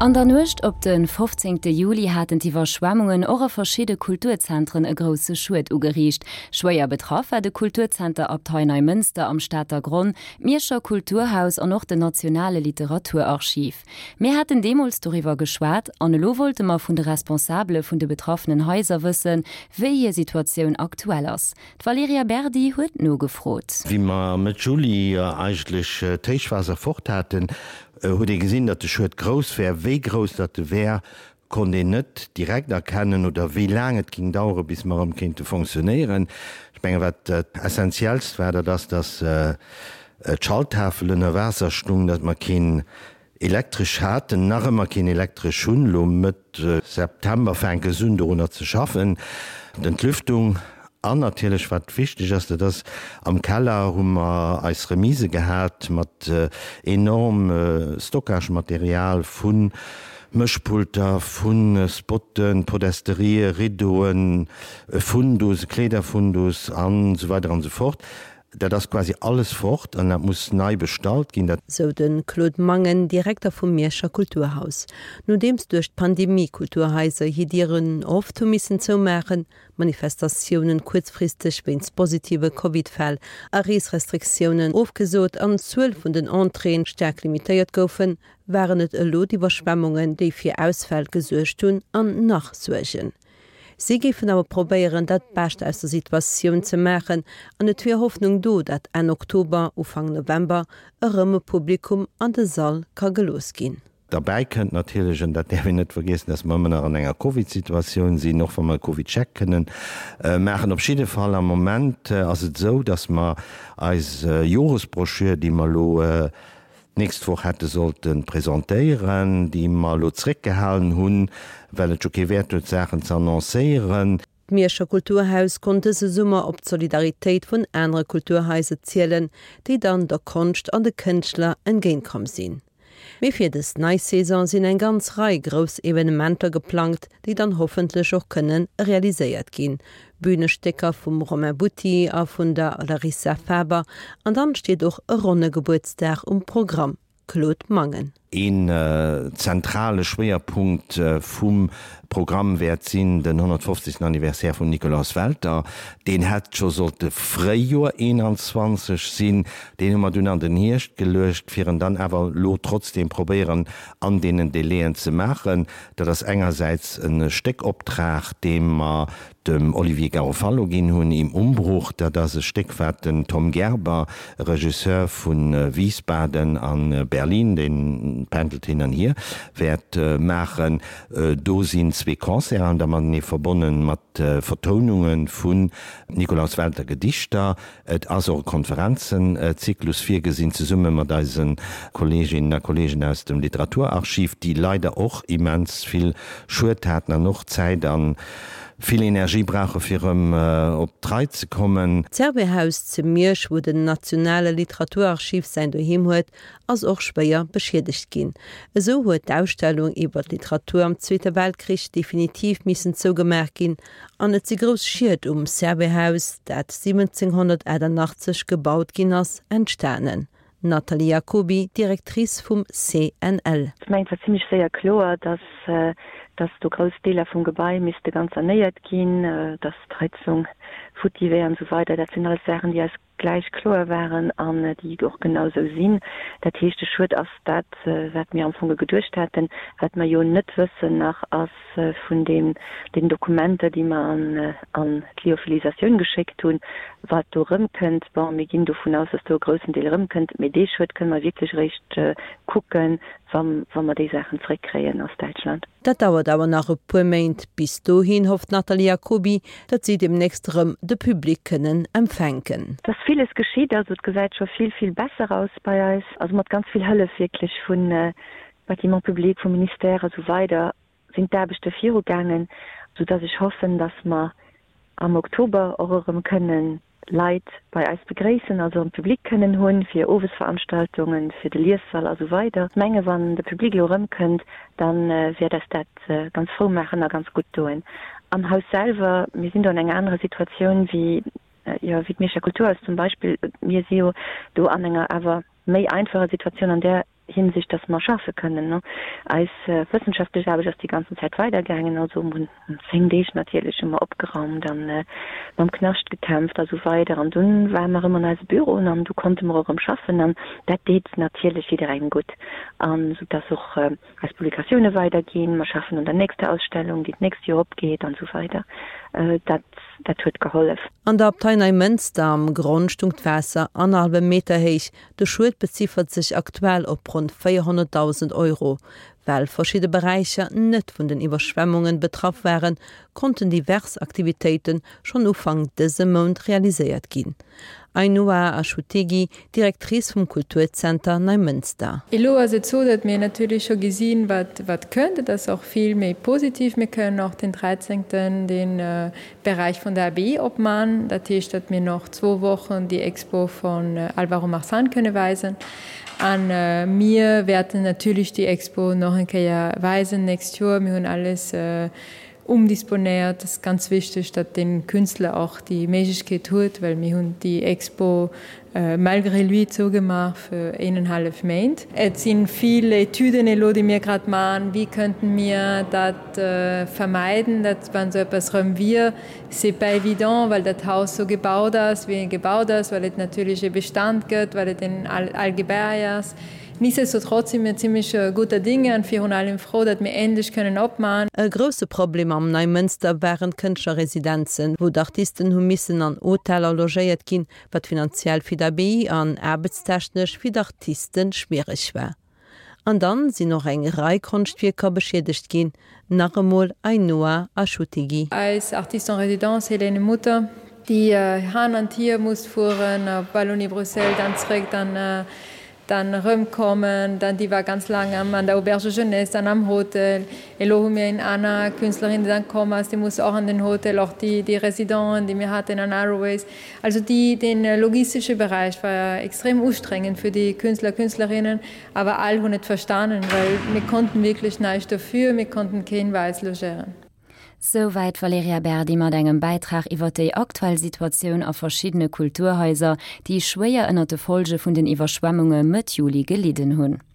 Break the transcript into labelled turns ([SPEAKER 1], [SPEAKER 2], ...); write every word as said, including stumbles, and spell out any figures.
[SPEAKER 1] An der Nuecht op de fofzéngte Juli haten d'Iwwerschwemmungen och a verschidde Kulturzentren e grousse Schued ugeriicht. Schwéier betraff war de Kulturzenter Abtei Neimënster am Stater Gronn, d'Mierscher Kulturhaus an och den Nationale Literaturarchiv. Mir haten deemools doriwwer geschwat an elo wollte mer vun de Responsabele vun de betraffenen Haiser wëssen, wéi hir Situatioun aktuell ass. D'Valerija Berdi huet nogefrot.
[SPEAKER 2] Wéi mer Mëtt Juli eigentlech d'Héichwaasser fort haten, huet ee gesinn, datt de Schued grouss wär. Wéi grouss datt e wär, konnt een net direkt erkennen oder wéi laang et géing dauere bis mer erëm kéinte fonctionnéieren. Ech menge wat dat Essentiellst war, dat ass, datt d'Schalttafel ënner Waasser stung, datt mer keen Elektresch haten, nach ëmmer keen Elektresch hunn. Elo Mëtt September fänke se un dorunner ze schaffen. D'Entlüftung an natierlech wat wichteg ass, dat ass, am Keller hu mer eis Remise gehat mat enorm Stockagematerial vu Mëschpulter, vu Spotten, Podesterië, Rideauen, Fundus, Kleederfundus an esou weider an esou fort. Dat ass quasi alles fort an dat muss nei bestallt ginn. Dat.
[SPEAKER 3] Sou de Claude Mangen, Direkter vum Mierscher Kulturhaus. Nodeems duerch d'Pandemie Kulturhaiser hir Dieren oft hu missen zoumaachen, Manifestatiounen kuerzfristeg wéinst positive Covid-Fäll a Reesrestriktiounen ofgesot an d'Zuel vun den Entréeën staark limitéiert goufen, waren et elo d'Iwwerschwemmungen, déi fir Ausfäll gesuergt hunn an nach suergen. Si géifen awer probéieren, dat Bescht aus der Situatioun ze maachen an et wier Hoffnung do, dat Enn Oktober, Ufank November erëm e Publikum an de Sall ka gelooss ginn.
[SPEAKER 2] Derbäi kënnt natierlech, an dat däerf een net vergiessen, dass mer ëmmer nach an enger Covid-Situatioun sinn, och wa mer e Covid-Check kënnen maachen. Op jidde Fall am Moment ass et esou, dass mer eis Joresbroschür, déi mer elo d'nächst Woch hätte sollte presentéieren, déi mer elo zréckgehalen hunn, well et jo kee Wäert huet, Saachen ze annoncéieren.
[SPEAKER 3] D'Mierscher Kulturhaus konnt dëse Summer op d'Solidaritéit vun anere Kulturhaiser zielen, déi dann der Konscht an de Kënschtler entgéintkomm sinn. Mee fir dës nei Saison sinn eng ganz Rei grouss Evenementer geplangt, déi dann hoffentlech och kënne realiséiert ginn, Bühnestécker vum Romain Butti a vun der Larissa Faber an dann steet och e ronne Gebuertsdag um Programm, Claude Mangen.
[SPEAKER 2] Een zentrale Schwéierpunkt vum Programm wäert sinn den honnertfofzegsten Anniversaire vum Nikolaus Welter. Deen hätt scho sollte Fréijoer eenanzwanzeg sinn, deen hu mer dunn an den Hierscht geluecht, fir en dann awer elo trotzdeem probéieren an deenen Délaiën ze maachen. Dat ass engersäits e Stéckoptrag, dee mer dem Olivier Garofalo ginn hunn, Im Umbruch. Dat ass e Stéck, wat den Tom Gerber, Regisseur vu Wiesbaden a Berlin, dee pendelt hin an hier, wäert maachen. Do sinn zwee Concerten da matenee verbonnen, mat Vertoununge vun Nikolaus Welter Gedichter. Et ass och e Konferenzenzyklus virgesinn, zesumme mat eise Kolleeginnen a Kolleegen aus dem Literaturarchiv, déi leider och immens vill Schued haten an och Zäit a vill Energie brauche fir erëm op d'Rei ze kommen.
[SPEAKER 3] D'Servais-Haus zu Miersch, wou den Nationale Literaturarchiv säin Doheem huet, ass och schwéier beschiedegt ginn. Esou huet d'Ausstellung iwwer d'Literatur am Zweete Weltkrich definitiv missen zougemaach ginn an et si grouss Schied um Servais-Haus, dat siwwenzénghonnertachtannachtzeg gebaut ginn ass, entstanen. Nathalie Jacoby, Directrice vum C N L.
[SPEAKER 4] Ech mengen, et war zimlech séier kloer, dass dass do grouss Deeler vum Gebai misste ganz sanéiert ginn, dass d'Heizung futti wär an esou weider. Dat sinn alles Saachen, déi eis gläich kloer waren an déi och genau esou sinn. Dat heescht, de Schued ass dat, wat mir am Fong geduecht haten. Wat mer jo net wëssen nach, ass vun deem, den Dokumenter, déi mer an an d'Lyophilisatioun geschéckt hunn, wat do erëmkënnt. Bon, mir ginn dovun aus, dass do e groussen Deel erëmkënnt, mee dee Schued kënne mer wierklech eréischt kucken, wa wa mer déi Saachen zréckkréien aus Däitschland.
[SPEAKER 3] Dat dauert awer nach e puer Méint. Bis dohin hofft d'Nathalie Jacoby, datt si deemnächst erëm de Public kënnen empfänken.
[SPEAKER 4] Et ass villes geschitt, also et gesäit scho vill, vill besser aus bei eis, also mat ganz vill Hëllef wierklech vu Bâtiments publics, vum Ministère a sou weider sinn d'Aarbechte virugaangen, soudass ech hoffen, dass mer am Oktober och erëm kënnen Leit bei eis begréissen, also erëm Public kënnen hunn fir Owesveranstaltungen, fir de Liessall a sou weider. Ech menge wann de Public elo erëmkënnt, da wäert eis dat ganz frou maachen a ganz gutt doen. Am Haus selwer, mir sinn do an enger anerer Situatioun wéi, jo, wéi d'Mierscher Kulturhaus zum Beispill. Mir si jo do an enger awer méi einfacher Situatioun an där Hinsicht, dass mer schaffe kënnen, ne. Eis wëssenschaftlech Aarbecht ass déi ganzen Zäit weidergaangen, also mer hunn zéng Deeg natierlech hu mer opgeraumt an mam Knascht gekämpft a sou weider an dunn ware mer erëm an eise Büroen an du konnte mer och erëm schaffen an dat deet natierlech jidderengem gutt an sou dass och eis Publikatioune weiderginn, mer schaffen un der nächster Ausstellung, déi d'nächst Joer opgeet an sou weider. Dat dat huet gehollef.
[SPEAKER 3] An der Abtei Neimënster am Gronn stung d'Waasser annerhallwe Meter héich. De Schued beziffert sech aktuell op ronn véierhonnertdausend Euro. Well verschidde Beräicher net vun den Iwwerschwemmunge betraff waren, konnten divers Aktivitéite schonn Ufank dësem Mount realiséiert ginn. Ainhoa Achutegui, Directrice vum Kulturzenter Neimënster.
[SPEAKER 5] Elo ass et sou, datt mir natierlech scho gesinn, wat wat kënnt. Et ass och vill méi positiv. Mir kënnen och den dräizéngten den Beräich vun der Abbaye opman. Dat heescht, datt mir noch zwou Wochen déi Expo vun Álvaro Marzán kënne weisen. An mir wäerten natierlech déi Expo nach eng Kéier weisen d'nächst Joer. Mir hunn alles umdisponéiert. Et ass ganz wichteg, datt de Künstler och déi Méiglechkeet huet, well mir hunn déi Expo malgré lui zougemaach fir eenenhallef Méint. Et si vill Etüden elo, déi mir grad maachen, wéi kënnten mir dat vermeiden, datt wann esou eppes erëm wier. C'est pas évident, well dat Haus sou gebaut ass, wéi et gebaut ass, well et natierlech e Bestand gëtt, well et en al Gebai ass. Nichtsdestotrotz si mir zimmlech gudder Dinge an virun allem frou, datt mir endlech kënnen opman.
[SPEAKER 3] E grousse Problem am Neimënster waren d'Kënschtlerresidenzen, wou d'Artisten hu missen an Hoteller logéiert ginn, wat finanziell fir d'Abbaye an aarbechtstechnesch fir d'Artiste schwiereg war. An dann sinn och eng Rei Konschtwierker beschiedegt ginn, nach emol Ainhoa Achutegui.
[SPEAKER 5] Eis Artiste en résidence Helene Mutter, déi han an hier muss fueren, op Wallonie-Bruxelles, dann zréck, dann dann erëmkommen, dann déi war ganz laang am an der Auberge Jeunesse, dann am Hotel. Elo hu mir eng aner Künstlerin, déi dann komm ass, déi muss och an den Hotel, och déi déi Residenten, déi mir haten an Arroways. Also déi den logistesche Beräich war extrem ustrengend fir déi Künstler, Künstlerinnen, awer all hunn et verstanen, well mir konnten wierklech näischt dofir, mir konnten keen bei eis logéieren.
[SPEAKER 1] Souwäit d'Valerija Berdi mat engem Bäitrag iwwer déi aktuell Situatioun a verschiddene Kulturhaiser, déi schwéier ënner de Folge vun den Iwwerschwemmunge Mëtt Juli gelidden hunn.